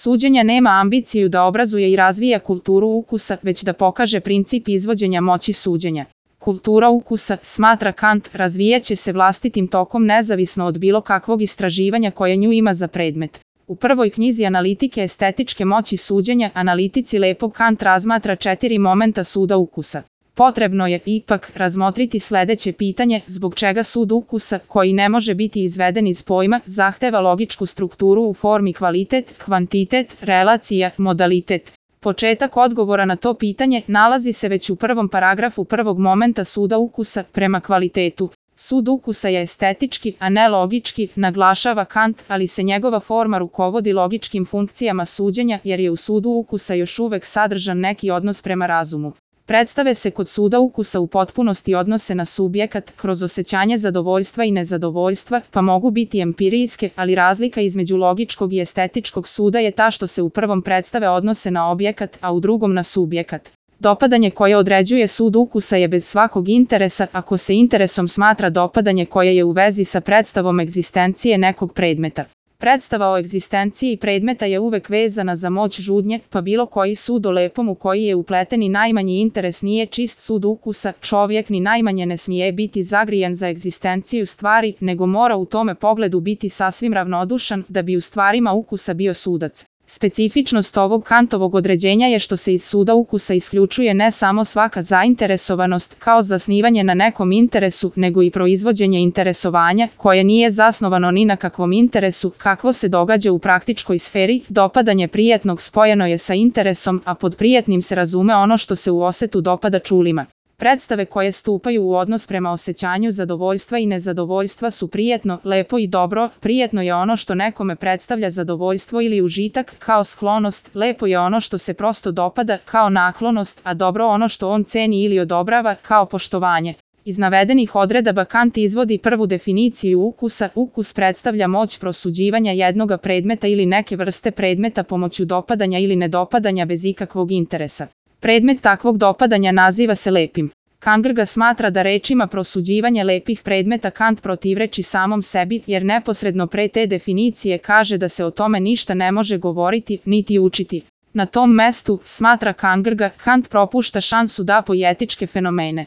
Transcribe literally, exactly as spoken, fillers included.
Suđenje nema ambiciju da obrazuje i razvija kulturu ukusa, već da pokaže princip izvođenja moći suđenja. Kultura ukusa, smatra Kant, razvijaće se vlastitim tokom nezavisno od bilo kakvog istraživanja koje nju ima za predmet. U prvoj knjizi Analitike estetičke moći suđenja, analitici lepog Kant razmatra četiri momenta suda ukusa. Potrebno je, ipak, razmotriti sledeće pitanje, zbog čega sud ukusa, koji ne može biti izveden iz pojma, zahteva logičku strukturu u formi kvalitet, kvantitet, relacija, modalitet. Početak odgovora na to pitanje nalazi se već u prvom paragrafu prvog momenta suda ukusa prema kvalitetu. Sud ukusa je estetički, a ne logički, naglašava Kant, ali se njegova forma rukovodi logičkim funkcijama suđenja jer je u sudu ukusa još uvek sadržan neki odnos prema razumu. Predstave se kod suda ukusa u potpunosti odnose na subjekat, kroz osjećanje zadovoljstva i nezadovoljstva, pa mogu biti empirijske, ali razlika između logičkog i estetičkog suda je ta što se u prvom predstave odnose na objekat, a u drugom na subjekat. Dopadanje koje određuje sud ukusa je bez svakog interesa, ako se interesom smatra dopadanje koje je u vezi sa predstavom egzistencije nekog predmeta. Predstava o egzistenciji predmeta je uvek vezana za moć žudnje, pa bilo koji sud o lepom u koji je upleten i najmanji interes nije čist sud ukusa, čovjek ni najmanje ne smije biti zagrijen za egzistenciju stvari, nego mora u tome pogledu biti sasvim ravnodušan da bi u stvarima ukusa bio sudac. Specifičnost ovog Kantovog određenja je što se iz suda ukusa isključuje ne samo svaka zainteresovanost kao zasnivanje na nekom interesu, nego i proizvođenje interesovanja, koje nije zasnovano ni na kakvom interesu, kakvo se događa u praktičkoj sferi. Dopadanje prijetnog spojeno je sa interesom, a pod prijetnim se razume ono što se u osetu dopada čulima. Predstave koje stupaju u odnos prema osjećanju zadovoljstva i nezadovoljstva su prijetno, lepo i dobro. Prijetno je ono što nekome predstavlja zadovoljstvo ili užitak, kao sklonost, lepo je ono što se prosto dopada, kao naklonost, a dobro ono što on ceni ili odobrava, kao poštovanje. Iz navedenih odredaba Kant izvodi prvu definiciju ukusa. Ukus predstavlja moć prosuđivanja jednoga predmeta ili neke vrste predmeta pomoću dopadanja ili nedopadanja bez ikakvog interesa. Predmet takvog dopadanja naziva se lepim. Kant ga smatra da rečima prosuđivanje lepih predmeta Kant protivreči samom sebi, jer neposredno pre te definicije kaže da se o tome ništa ne može govoriti, niti učiti. Na tom mestu, smatra Kant, Kant propušta šansu da poetičke fenomene